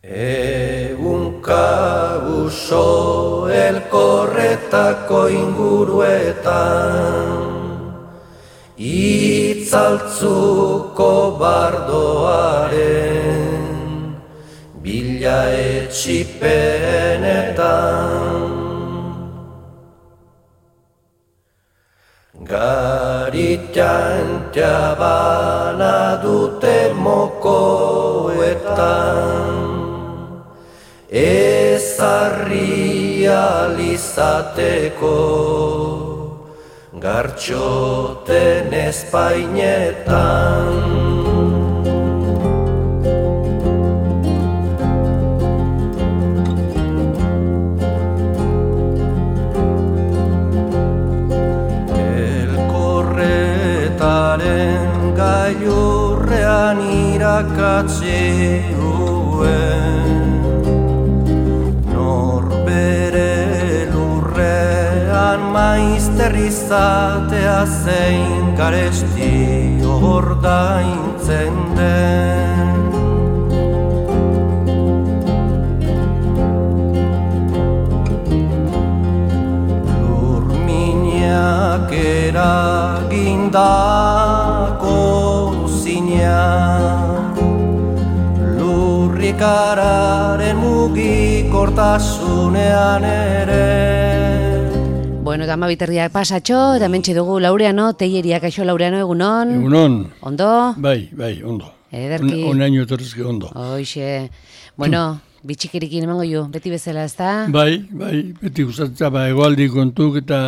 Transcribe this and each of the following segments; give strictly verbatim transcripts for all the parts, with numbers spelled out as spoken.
Egunka uso elkorretako inguruetan Itzaltzuko bardoaren bila etxipenetan Garitan jabana dute mokoetan Ezarri alizateko Gartxoten espainetan Elkorretaren gailurrean irakatsi duen Norbere lurrean maizter izatea zein garesti ordaintzen den Lurminak eragindako zina Lurrikararen mugikortasunean ere Bueno, eta amabiterdiak pasatxo, eta mentxe dugu Laureano, Teileriak aixo Laureano, egunon? Egunon. Ondo? Bai, bai, ondo. Ederki. Un, un año etorrizke ondo. Hoxe. Bueno, bitxikerikin emango ju, beti bezala, ez da? Bai, bai, beti guztatza, ba, egualdi kontuk eta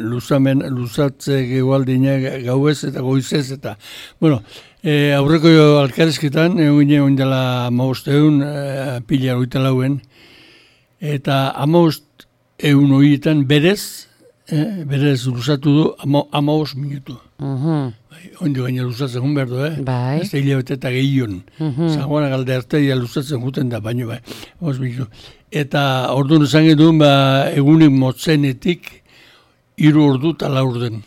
luzamen, luzatzek egualdinak gauez eta goizez eta, bueno, e, aurreko alkarezketan, egun gine ondela amabosteun, e, pila oita lauen, eta amabost egun horietan berez, eh, berez luzatu du amabos minutu. Uh-huh. Bai, ondo gaina luzatzen jun behar du, eh? Bai. Ez da hilabete eta gehion. Uh-huh. Zagoana galde arteia luzatzen juten da, baino bai. amabos minutu. Eta orduan esan edun, ba, egunik motzenetik, hiru ordu eta laur den.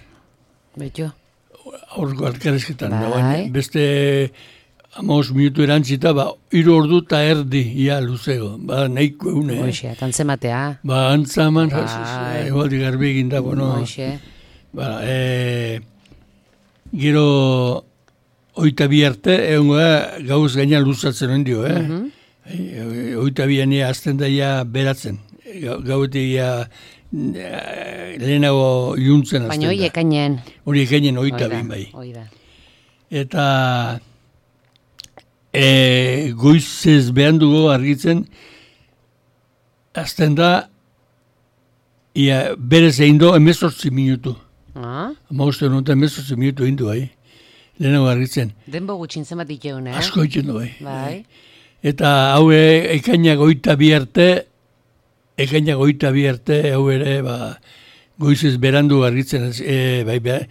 Betxo. Aurko alkarezketan. Bai. Baina, beste amabos minutu erantzita, ba, hiru ordu eta erdi, ia, luzego. Ba, nahiko egun, eh? Hoxe, atantzematea. Ba, antzaman, Bai. egualdi garbi egin da, bueno. Hoxe. Ba, e, gero oita bi arte, egon gara, gauz gaina luzatzen hon dio, eh? Uh-huh. E, oita bi ania azten daia beratzen. Gauetik ia lehenago iuntzen azten da. Baina hori ekainen. Hori ekainen oita bin bai. Oida. Eta e, goizez behan dugu argitzen, azten da, ia berez egin do emezortzi minutu. Ah? Amauste honetan emezortzi minutu egin du bai. Lehenago argitzen. Denbo gutxin zenbat ikeun, eh? Asko egiten du bai. Bai. Eta hau ekainak oita bi arte, ekainak oita bi arte, hau ere, ba, goizez berandu argitzen, e, bai, bai,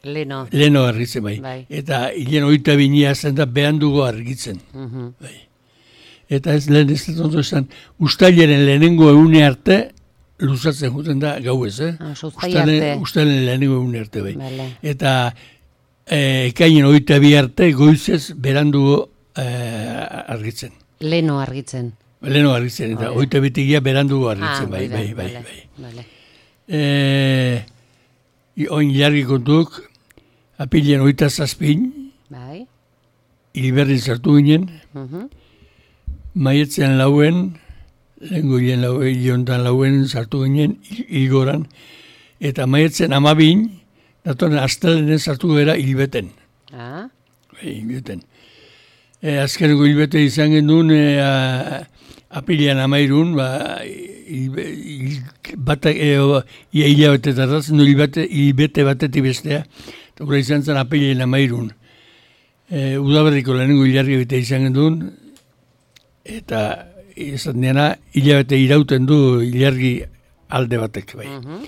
Leno. leheno argitzen bai. Bai. Eta hilen oita binia zen da behandugo argitzen. Uh-huh. Bai. Eta ez lehen ez dut ondo esan, ustailaren lehenengo egune arte, luzatzen juten da gauez, eh? Ah, so uztaila arte. Ustailen lehenengo egune arte, bai. Vale. Eta e, ekainen oita bi arte, goizez berandugo e, argitzen. Leno argitzen. Leheno argitzen, eta Oida. oita bitigia berandugo argitzen, Ah, bai, oida, bai, bai, vale, bai. vale. E, oin jarri kontuk, apilean oita zazpin, Bai. Iliberrin sartu ginen, Uh-huh. maietzen lauen, lehenko hien lauen, hilontan lauen sartu ginen, hilgoran, eta maietzen amabin, datoren astelenen sartu gara hilbeten. Ah? Hilbeten. E, azkeneko hilbete izan genuen, e, a, apilean amairun, ba, hilbe, hil, batak, e, o, ia hilabetetaz, no hilbete, hilbete batetik bestea, eta gura izan zen apilean amairun. E, udaberriko lehenengo hilarri bete izan genuen, eta izan dena hilabete irauten du hilargi alde batek, bai. Uh-huh.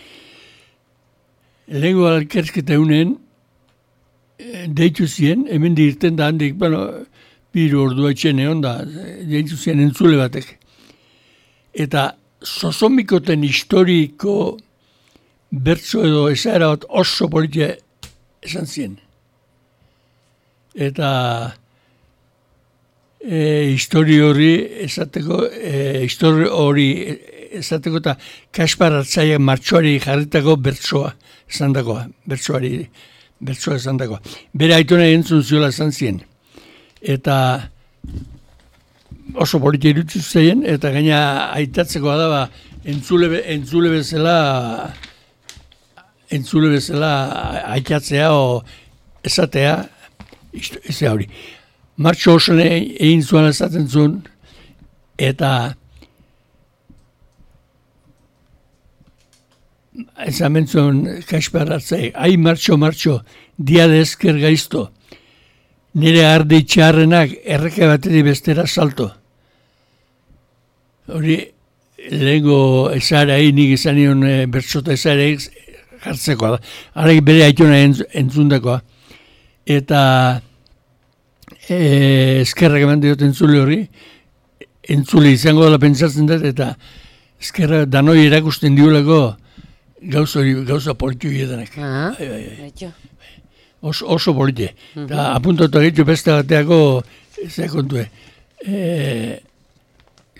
Lehenengo alkersketa unen, deitu zien, hemen dirten da handik, bueno, biru ordua etxen egon da, deitu zien entzule batek. Eta zozomikoten historiko bertso edo esaera bat oso politia esan zien. Eta e, histori hori esateko, e, histori hori esateko eta Kaspar Artzaiak martxoari jarritako bertsoa esan dagoa, bertsoari, bertsoa esan dagoa. Bere aitona entzun ziola esan zien. Eta oso politia irutzu zeien, eta gaina aitatzekoa da, ba, entzule, entzule bezala, entzule bezala aitatzea o esatea, ez hori. Martxo oso egin zuen esaten zuen, eta esan mentzuen Kaspar Artzai, ai martxo, martxo, dia de esker gaizto, nire arde itxarrenak erreke bateri bestera salto. Hori, lehenko esarai, nik izan nion e, bertsota esarai jartzekoa da. Harak bere aitona entzundakoa. Eta e, eskerrak eman diot entzule hori, entzule izango dela pentsatzen dut, eta eskerra danoi erakusten diolako gauza hori, gauza politu hiedanak. Ah, bai, bai, bai. betxo. Oso, oso polite. Mm-hmm. Eta apuntatu egitu beste bateako, ez kontue, e,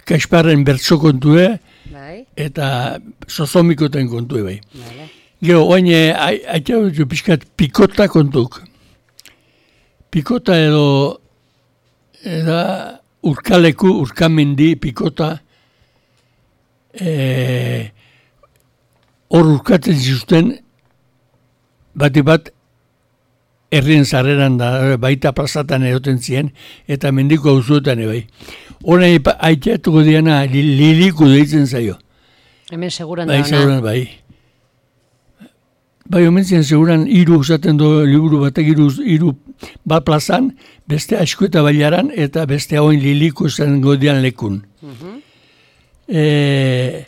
Kasparren bertso kontue, bai. eta sozomikoten kontue bai. Vale. Gero, oain, aitea dut pixkat pikota kontuk. Pikota edo, eda urkaleku, urkamendi, pikota, e, hor urkatzen zizuten, bati bat, herrien zarreran da, baita plazatan eroten ziren, eta mendiko auzuetan bai. Hora aiteatuko diana li, liliku deitzen zaio. Hemen seguran bai, da ona. Seguran, bai. Bai, omentzien seguran hiru usaten du liburu batek hiru hiru bat plazan, beste asko eta bailaran, eta beste hauen liliku esan godian lekun. Uh-huh. E,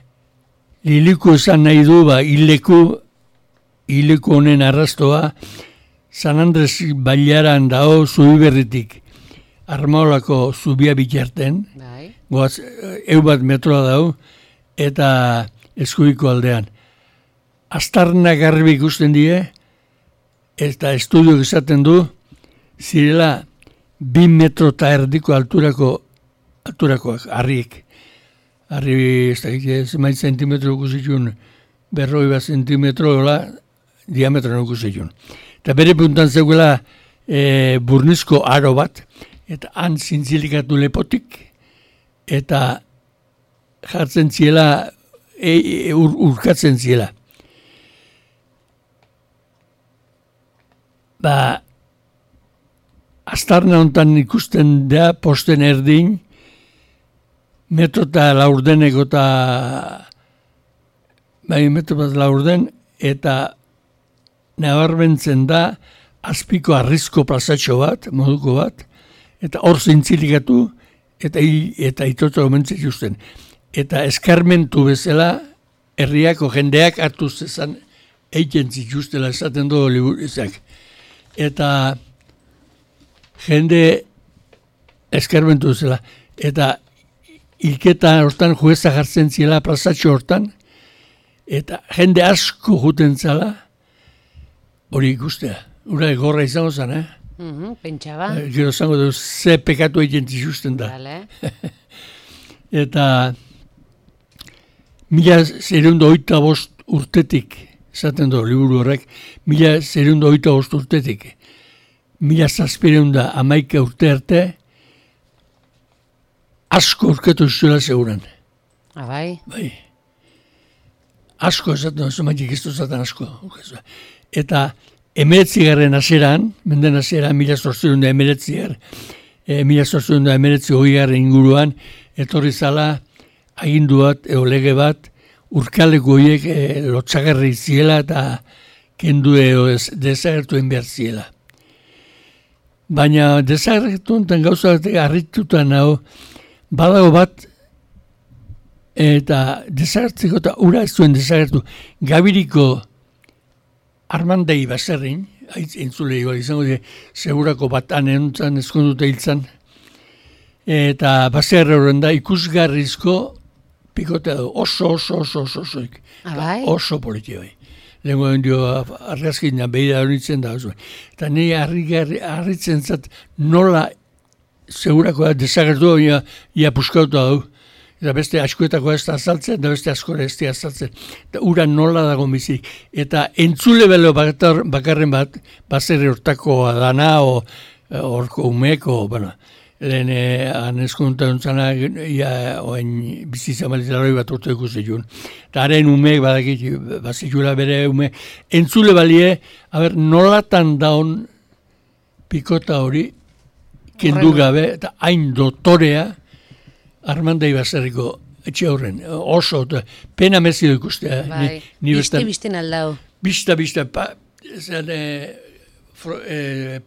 liliku esan nahi du, ba, hileku, hileku honen arrastoa, San Andres bailaran dao Zubiberritik, Armaolako zubia bitarten, Bai. goaz, eu bat metroa dau, eta eskuiko aldean. Aztarna garbi ikusten die, eta estudioak esaten du, zirela bi metro eta erdiko alturako, alturakoak, harriek. Harri, ez da, ez maiz zentimetro ikusitun, berroi bat zentimetro, diametro ikusitun. Eta bere puntan zegoela e, burnizko aro bat, eta han zintzilikatu lepotik, eta jartzen ziela, e, e, ur, urkatzen ziela. Ba, aztarna hontan ikusten da, posten erdin, metro eta laurdeneko eta, bai, metro bat laurden, eta nabarmentzen da, azpiko arrizko plazatxo bat, moduko bat, eta hor zintzilikatu, eta, eta itoto omentzen justen. Eta eskarmentu bezala, herriako jendeak hartu zezan, eiken zituztela esaten du liburizak. Eta jende eskarmentu bezala. Eta hilketa hortan jueza jartzen ziela plazatxo hortan, eta jende asko juten zala, hori ikustea. Ura gorra izango zen, eh? Uh-huh, pentsaba. Gero zango du, ze pekatu egiten zizuzten da. Vale. Eta mila zerundo oita bost urtetik, esaten du, liburu horrek, mila zerundo oita bost urtetik, mila zazpireunda amaika urte arte, asko urketu zuela seguran. Ah, bai? Bai. Asko esaten du, zumaitik iztu zaten asko. Eta emeretzigarren aseran, menden aseran, mila zortzirunda emeretzigar, e, mila zortzirunda emeretzi hogeigarren inguruan, etorri zala agindu bat, eo lege bat, urkaleko horiek e, lotxagarri ziela eta kendu eo desagertuen behar ziela. Baina desagertu enten gauza bat harritutan hau, badago bat, eta desagertzeko eta ura ez zuen desagertu, Gabiriko Armandei baserrin, haitz entzule igual izango die, segurako bat anentzan ezkonduta hiltzan, eta baserri horren da ikusgarrizko pikotea du, oso, oso, oso, oso, oso, Ah, bai? oso politia bai. Lehenko dio argazkina behida horitzen da, oso. Eta nire harritzen zat nola segurakoa desagertu, ia, ia puskautu hau. Eta beste askoetako ez da azaltzen, eta beste askore ez da azaltzen. Eta ura nola dago bizik. Eta entzule belo bakarren bat, baserri hortakoa dana, o horko umeko, bueno, lehen anezkonta duntzana, ia, oen bizizamalizaroi bat urte ikusi jun. Eta haren umeek badakit, bazitxula bere ume. Entzule balie, haber, nolatan daun pikota hori, kendu gabe, eta hain dotorea, Armandai baserriko etxe horren, oso, pena mezido ikustea. Bai, ni, ni biste bizten aldau. Bista, bista, pa, zan, e, fro, e,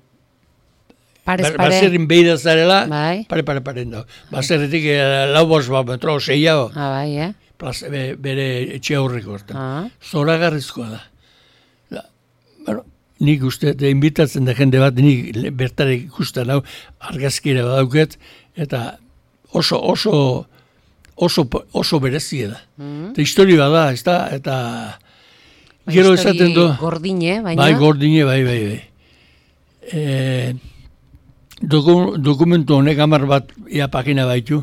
Parez, bar, pare. Baserrin behida zarela, bai. pare, pare, pare, no. Baserretik e, lau bos bat metro, zeiago, Ah, bai, eh? plaza, be, bere etxe horreko hortan. Ah. Zoragarrizkoa da. da. Bueno, nik uste, de invitatzen da jende bat, nik bertare ikusten hau, argazkira badauket, eta oso, oso, oso, oso berezia da. Mm. Eta historia da, ez da, eta Ba, gero esaten du. Gordine, baina. Bai, gordine, bai, bai, bai. E, doku, dokumentu honek hamar bat ia pagina baitu,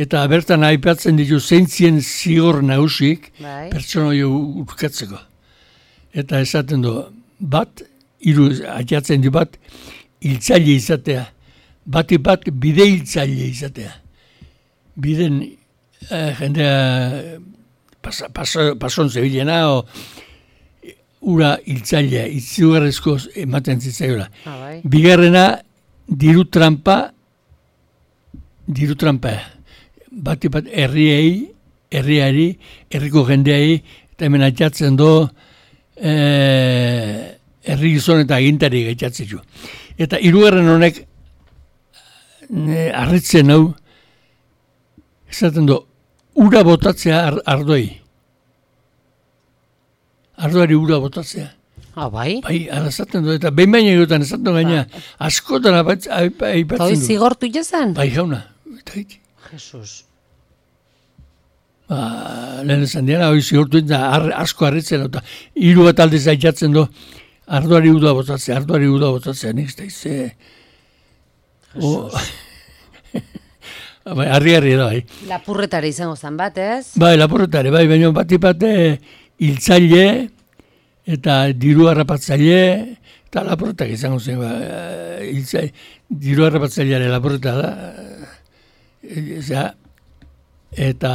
eta bertan aipatzen ditu zeintzien zigor nagusik Bai. pertsona hori urkatzeko. Eta esaten du, bat, hiru atxatzen du bat, hiltzaile izatea. Bati bat, bide hiltzaile izatea. Biden eh, jendea pas, pas, pason zebilena, o ura hiltzailea, itzugarrezko ematen zitzaiola. Ah, bai. Bigarrena, diru trampa, diru trampa. Bati bat herriei, herriari, herriko jendeai, eta hemen atxatzen do, eh, herri gizon eta agintari gaitzatzen du. Eta hirugarren honek, ne, harritzen hau, esaten du, ura botatzea ar, ardoi. Ardoari ura botatzea. Ah, bai? Bai, ara esaten du, eta behin baina egotan esaten du gaina, askotan aipatzen Eta hoi du. zigortu jazan? Bai, jauna. Eta iti. Jesus. Ba, lehen esan diana, hoi zigortu eta ar, asko harritzen, eta hiru bat aldiz aitzatzen du, ardoari ura botatzea, ardoari ura botatzea, nik ez da izze. Bai, harri-harri da, bai. Lapurretare izango zan bat, ez? Bai, lapurretare, bai, baina bati bat hiltzaile eta diru harrapatzaile, eta lapurretak izango zen, ba, hiltzaile, diru harrapatzaileare lapurreta da, eza, eta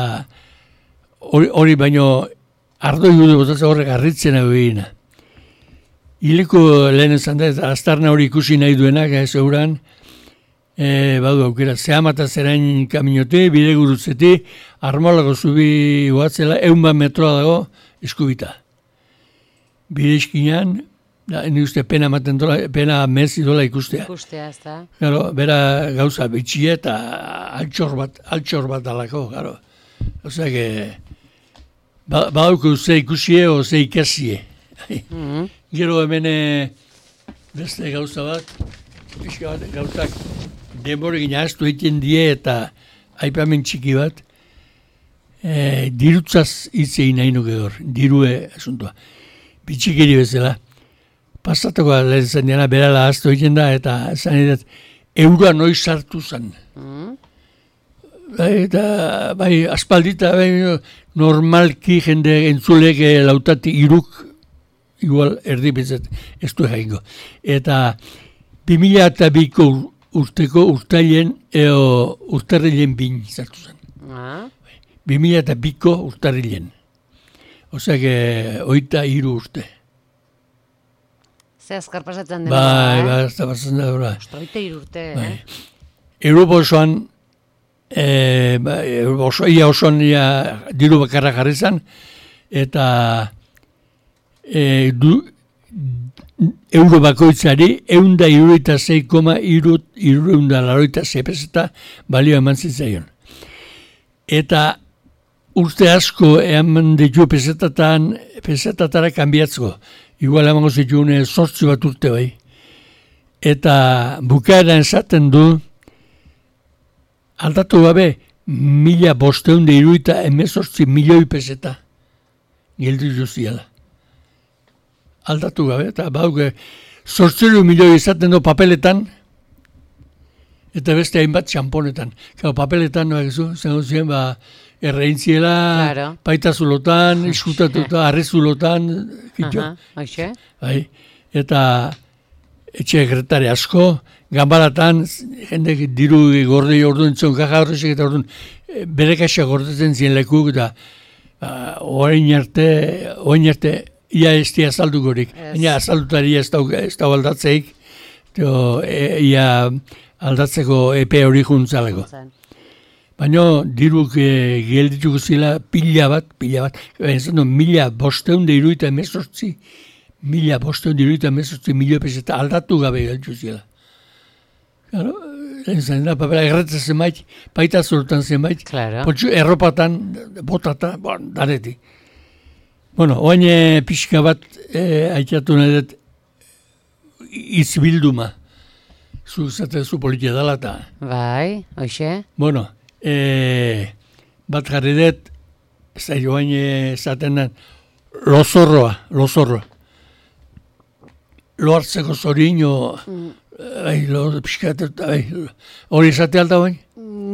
hori, hori baino ardoi gudu botatzen horrek harritzen hau egina. Hileko lehen esan da, eta aztarna hori ikusi nahi duenak, ez euran, E, badu aukera, zehamata zerain kaminote, bide gurutzeti, armolako zubi guatzela, eun bat metroa dago eskubita. Bide iskinan, da, ni uste pena maten dola, pena mezi dola ikustea. Ikustea, ez da. Garo, bera gauza bitxie eta altxor bat, altxor bat alako, garo. Osea, que, ba, badauko ze ikusie o ze ikasie. Mm-hmm. Gero hemen beste gauza bat, pixka bat gauzak, denborekin ahaztu egiten die eta aipamen txiki bat, e, dirutzaz hitzein nahi nuke hor, dirue asuntua. Bitxikeri bezala. Pasatuko lehen zen diana, berala ahaztu egiten da, eta zan edat, euroa noiz sartu zen. Mm. Bai, eta, bai, aspaldita, bai, normalki jende entzulek lautati iruk, igual erdi bezat, ez du jaingo. Eta, bi mila eta biko urteko urtailen, eo urtarrilen bin zartu zen. Ah. Bi mila eta biko urtarrilen. Osea, que oita hiru urte. Ze azkar pasatzen dena. Bai, eh? bai, ez da pasatzen da, bera. Ostra, oita hiru urte, Bai. eh? Europa osoan, e, ba, Europa oso, ia osoan ia diru bakarra jarri zen, eta e, du, euro bakoitzari, eunda iruroita zei koma irureunda laroita zei peseta balio eman zitzaion. Eta urte asko eman ditu pesetatan, pesetatara kanbiatzko. Igual emango zituen sortzi bat urte bai. Eta bukaeran esaten du, aldatu gabe, mila bosteunde iruita emezortzi milioi peseta. Gildu justiala. Aldatu gabe, eta bauke, sortziru milioi izaten du papeletan, eta beste hainbat txamponetan. Gau, papeletan, bakizu, zengo ziren, ba, erreintziela, Claro. baita zulotan, iskutatuta, arre zulotan, kitxo. Aha, hoxe. Bai, eta etxe sekretari asko, ganbaratan, jendek diru gordei orduan zion, kaja horrezek eta orduan, e, bere kaxa gordetzen ziren lekuk, eta ba, orain arte, orain arte, ia ez di azaldukorik. Ez. Baina azaldutari ez dau, ez dau aldatzeik, teo, e, ia aldatzeko epe hori juntzaleko. Zan. Baina diruk e, geldituko zila pila bat, pila bat, ez du, mila bosteun de iruita emezortzi, mila bosteun de iruita emezortzi milio peseta aldatu gabe gelditu zila. Claro, zen da, papera erretzen zenbait, baita zurutan zenbait, Claro. potxu, erropatan, botata, bon, dareti. Bueno, oain e, pixka bat e, aitatu nahi dut izbilduma. Zu zate zu politia dela eta. Bai, hoxe. Bueno, e, bat jarri dut, ez da joan esaten den, lozorroa, lozorroa. Lo hartzeko zorino, bai, lo pixkat, bai, hori esate alta bain?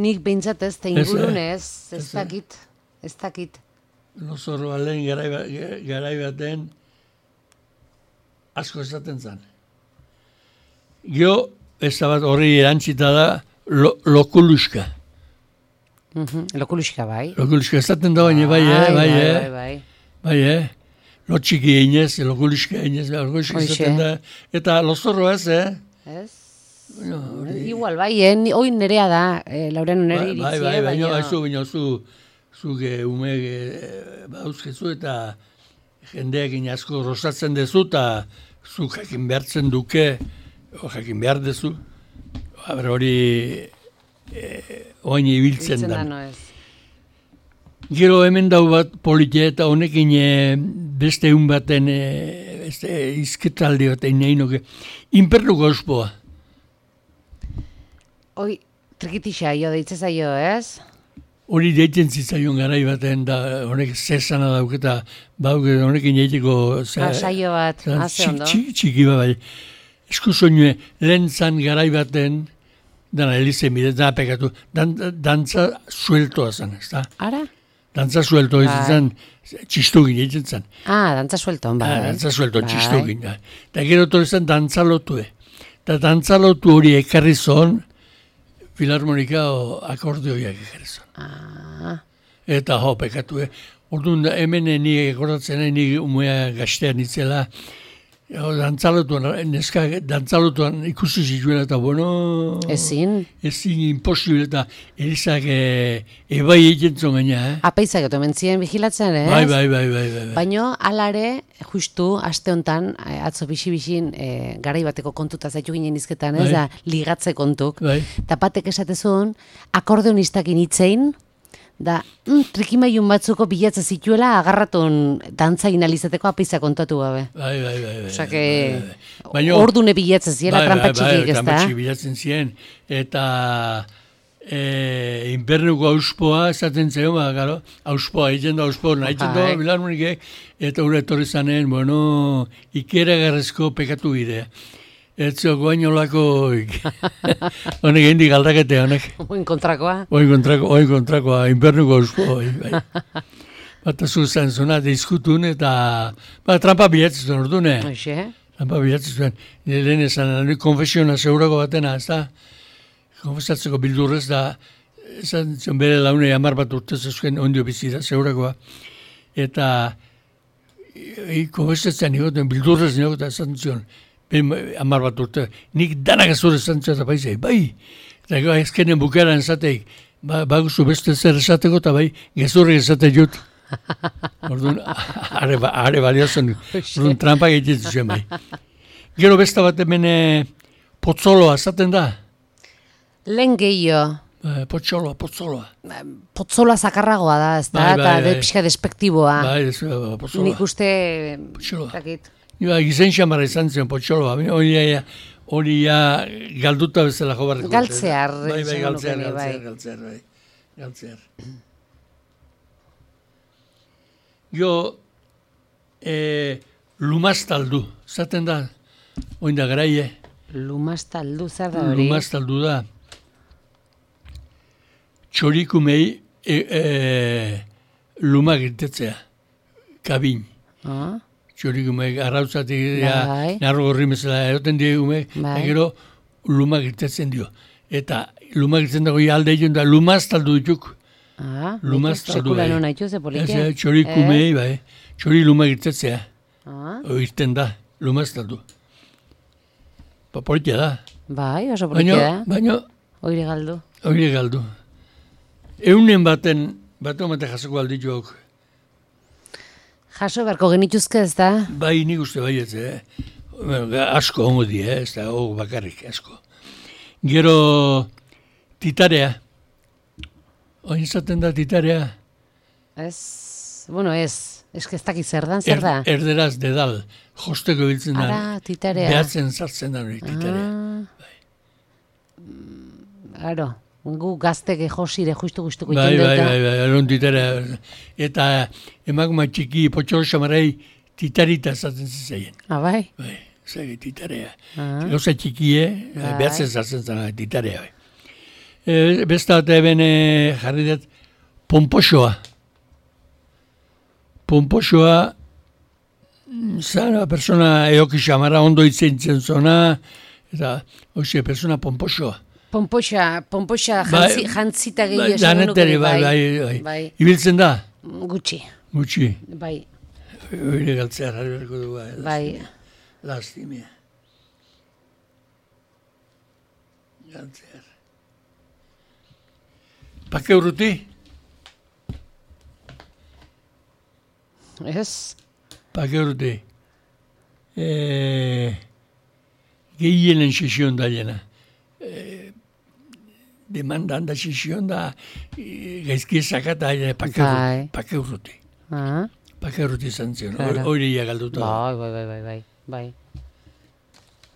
Nik behintzat ez, eta Ez, eh? ingurun ez, ez Ez, eh? dakit, ez dakit. Lozorroa lehen garai, ba- garai baten asko esaten zen. Gio, ez da bat horri erantzita da, lo, lokuluska. Mhm, Lokuluxka bai. Lokuluska esaten da baina, bai, eh, bai, bai, eh. bai, bai. Bai, eh? Lotxiki einez, lokuluska einez, lokuluska Hoxe. izaten da. Eta lozorro ez, eh? Ez? Bueno, hori- Igual, bai, eh? ni- Hoi nerea da, eh, Lauren nere Bai, iritzi, bai, bai, eh, baina, baina... zu, baina, zu, zu, ge, ume, ge, bauzkezu eta jendeak asko rosatzen dezu, eta zu jakin behartzen duke, o jakin behar dezu, aber hori e, oain ibiltzen Biltzen da, da. no ez. Gero hemen dau bat politia eta honekin e, beste egun baten, e, beste izketaldi baten nahi nuke, inpernuko ospoa. Hoi, trikitixa jo, deitze zaio, ez? Hori deiten zitzaion garai baten, da honek zesana dauketa, bauke honekin egiteko... Ah, saio bat, zan haze txik- ondo. txiki, txiki bat bai. Esku soinue, lehen zan garai baten, dana elizen bide, da pekatu, dan, dantza sueltoa zan, ez da? Ara? Dantza suelto ez Bai. zan, txistugin egiten zan. Ah, dantza suelton, bai. Ah, dantza suelto, Bai. txistugin. Da. Eta gero torri zen dantzalotue. Eta dantzalotu hori ekarri zon, filarmonika o akordeoiak ekarri zon. Ah, Eta jo, pekatu, eh? Orduan, da, hemen eh, ni egoratzen, eh, ni umea gaztean itzela, jo, dantzalotuan, neska dantzalotuan ikusi zituela, eta bueno... ezin. Ezin imposible, eta erizak e, ebai egiten zon gaina, eh? Apeizak eto mentzien vigilatzen, ez? Bai, bai, bai, bai, bai. bai. Baino, alare, justu, aste hontan, eh, atzo bixi-bixin, e, garai bateko kontuta zaitu ginen izketan, ez Bai. da, ligatze kontuk. Bai. Eta batek esatezun, akordeonistakin hitzein, da, mm, trikimailun batzuko bilatze zituela agarratun dantzain alizateko apeiza kontatu gabe. Bai, bai, bai, bai. Osa, que bai, bai. Baino- ordune bilatzen ziela Bai, trampa bai, txikik, bai, ez trampa da? txiki bilatzen ziren, eta e, inbernuko auspoa esaten zen, ba, garo, auspoa, egiten da auspoa, nahitzen da, Bai. bilarmonikek, eta ura etorri zanen, bueno, ikeragarrezko pekatu bidea. Ez zoko bainolako, honek hendik aldakete, honek. Oin kontrakoa. Oin kontrako, oin kontrakoa, inbernuko auspoa, bai, bai. Bata zuzan zuna, deizkutun, eta, ba, trampa bilatzen zuen, ordune. Hoxe, Trampa bilatzen zuen, nire lehen esan, nire konfesiona zeurako batena, ez da? Konfesatzeko bildurrez da, esan zion bere launei hamar bat urte zezuen ondio bizi da, zeurakoa. Eta, e, konfesatzen nigoten, bildurrez nigoten, esan zion, ben hamar bat urte, nik danak azur esan zion, eta paizei, bai, eta gero ezkenen bukaran esateik, ba, baguzu beste zer esateko, eta bai, gezurri esate jut. Orduan, are, ba- are baliozen, orduan trampa egiten zuen bai. Gero besta bat hemen eh, potzoloa, esaten da? lehen gehiago, Eh, Potzoloa, potzoloa. potzola zakarragoa da, ez da, Bai, bai, eta de bai. pixka despektiboa. Bai, ez, eh, potzoloa. Nik uste, Potxoloa. dakit, Ba, gizen xamara izan zen potzoloa, hori ja, hori ja galduta bezala jo barriko. Galtzear, Bai, bai, esango galtzear, nuke, bai. galtzear, galtzear, bai. Galtzear. Jo, eh, lumaztaldu, zaten da, oin da garaie, lumaztaldu zer da hori? lumaztaldu da. txorikumei e, e, lumak irtetzea, kabin. Ah. Txorikumeek arrautzatik Bai. narro gorri mesela eroten diegumeek, Bai. eta gero lumak irtetzen dio. Eta lumak irtetzen dago alde egin da lumaztaldu dituk. Ah, Lumaztaldu sekula bai. non haitu ze polike. Ez, txorikumei, bai. Txori lumak irtetzea. Ah, O irten da, lumaztaldu. Pa politia da. bai, oso polike Baina, da. baina, Oire galdu. hori galdu. Eunen baten, bat omate jasoko aldituak. Jaso beharko genituzke ez da? Bai, nik uste baietz, eh? Bueno, ga- asko hongo di, eh? Ez da, hor bakarrik, asko. Gero, titarea. Oin izaten da titarea. Ez, bueno, ez. Ez que ez dakit zer dan, zer da? Er, erderaz dedal, josteko biltzen da. Ara, titarea. Behatzen sartzen da hori titarea. Ah. Aro, gu gazteke josire justu gustuko Bai, iten bai, dut. bai, bai, eron titarea. Eta emakuma txiki potxor samarei titarita esaten zizaien. Ah, bai? Bai, zage titarea. Ah. Gauza txikie, Bai. behatzen sartzen zara titarea. Bai. E, besta bat eben e, jarri dut, pomposoa. Pomposoa, mm, zara, persona eoki xamara ondo itzentzen zona, eta, hoxe, persona pomposoa. Pompoxa, pompoxa Bai, jantzi, jantzita Bai, gehiago esango nuke, danetari, bai, bai, bai. Bai, Ibiltzen da, gutxi, gutxi. bai, Hori galtzea jarri berko du, bai. bai. Lastimia. Galtzea. Pake urruti? Ez? Pake urruti. E, gehienen sesion da jena. E, demandan da sesion da e, gaizki esakata pake, Bai. pake urruti. Ah, Pake urruti izan zion. Claro. Hori ia galduta. da. bai, bai, bai, bai, bai, bai.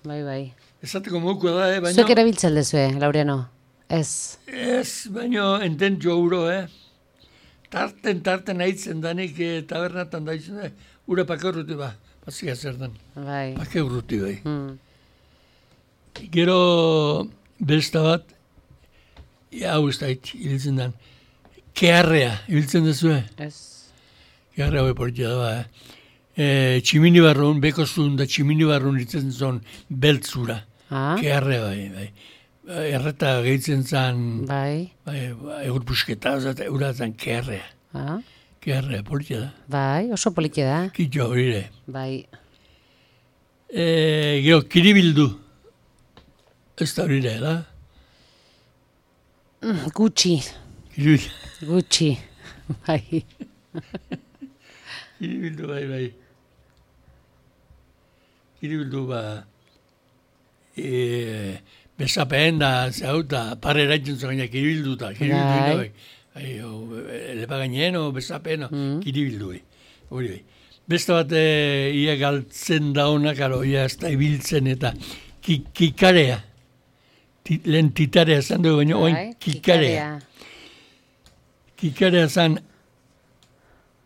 Bai, bai. Esateko mokoa da, eh? Baina... Zuek erabiltzen dezue, Laureano? Ez. Ez, baina enten jouro, eh? Tarten, tarten haitzen danik eh, tabernatan da izan, eh? Ura pake urruti ba, bazia zer dan. Bai. Pake urruti bai. Hmm. Gero besta bat, ja, hau ez da hit, hiltzen dan, keharrea, hiltzen dezue? Ez. Keharrea hoi portia da ba, eh? E, tximini barrun, beko zuen da tximini barrun hiltzen zon beltzura. Ah, Keharrea bai, bai. Erreta gehitzen zan, bai. bai, egur pusketa, eta eura zan keharrea. Ah, Keharrea, politia da. bai, oso polike da. Kitxo horire. Bai. E, gero, kiribildu. Ez da horire, da? Mm, Gutxi, Kiribildu, gutxi. Bai. kiribildu bai, bai. Kiribildu ba, e, bezapeen da, zauta, pare eraitzen zuen, kiribildu da, kiribildu Bai. bai. Bai, o, lepa gainen, o bezapeen, Mm. kiribildu bai. Hori bai. Beste bat, e, ia galtzen da honak, aro, ia ez da ibiltzen eta ki, kikarea. Ti, lehen titarea zan dugu, baina oin Bai, kikarea. Kikarea zan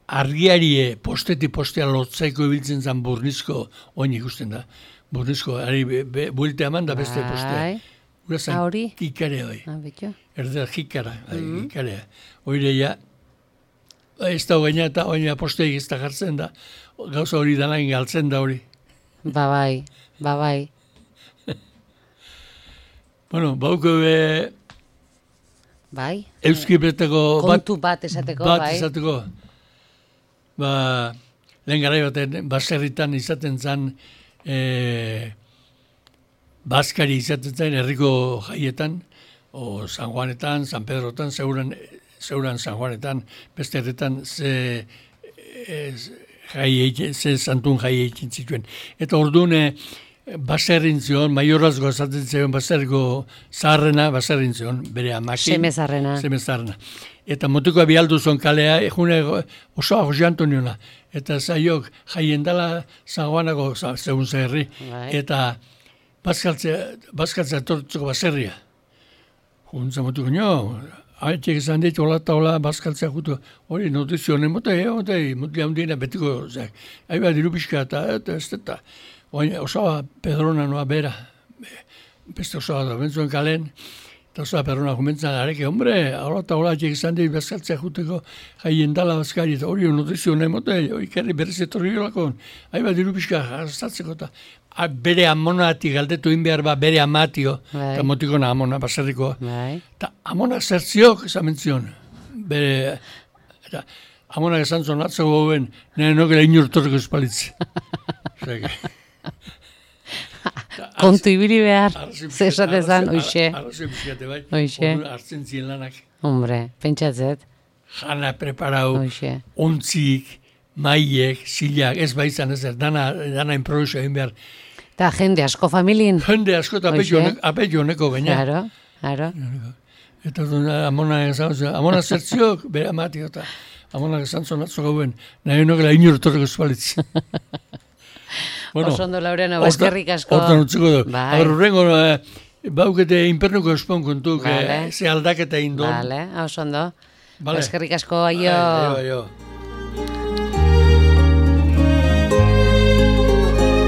argiarie postetik postea lotzaiko ibiltzen zan burnizko, oin ikusten da, burnizko, ari be, be, buelte eman da beste postea. Bai. Ura zan Ah, hori? kikarea bai, Ah, betxo. erdera jikara, bai, Mhm. kikarea. Oire ja, ez da gaina eta oina posteik ez da jartzen da, gauza hori danain galtzen da hori. Ba bai, ba bai. Bueno, bauko be, Bai. euski beteko bat, Kontu bat esateko, bat bai. izateko. Ba, lehen garai baten, baserritan izaten zen, e, Baskari izaten zen herriko jaietan, o San Juanetan, San Pedrotan, zeuran, zeuran San Juanetan, beste herretan ze, e, jai egin, ze santun jai egin zituen. Eta orduan, e, baserrin zion, maiorazgo esaten zion, baserriko zaharrena, baserrin zion, bere amakin. Semezarrena. Semezarrena. Eta motiko bialdu zon kalea, egune osoa Jose Antoniona. Eta zaiok jaien dela San Juanako zeun zerri. Bai. Eta bazkaltzea, bazkaltzea tortzeko baserria. Juntza motuko nio, haitxek izan dit, hola eta hola, bazkaltzea jutu. Hori, notizionen mote, e, mote, mutila hundiena betiko, zeak. Aiba diru pixka eta, eta ez eta. Oin, osoa Pedrona noa bera. Beste osoa da, bentzuen kalen. Eta oso perrona jumentzan, areke, hombre, hola eta hola atxek izan dira bezkaltzea juteko jaien dala bazkari, eta hori notizio nahi mote, ikerri berriz etorri olakon, hai bat diru pixka jastatzeko, eta bere amonati galdetu in behar ba, bere amatio, eta motikona amona, baserrikoa. Eta amonak zertziok, esan mentzion, bere, eta amonak esan zon atzo goben, nire nokera inurtorreko espalitzi. Kontu ibili behar, zesatezan, oixe. Arrazoi pixkate bai, Oixe. hartzen ziren lanak. Hombre, pentsatzet. Jana preparau, Oixe. ontzik, maiek, zilak, ez baitzan ezer, dana, dana improviso egin behar. Eta jende asko familin. Jende asko eta apetxo honeko baina. Claro, claro. Eta amona esan, amona zertziok, bere amatio eta amona esan zonatzo gauen, nahi honokela inurtorreko espalitzi. Bueno, oso ondo Laureano, eskerrik asko. Hortan utziko du. Bai. Agar urrengo, eh, baukete inpernuko espon kontuk, Vale. eh, ze aldaketa indon. Vale, oso ondo. Vale. Eskerrik asko, aio. Aio, aio.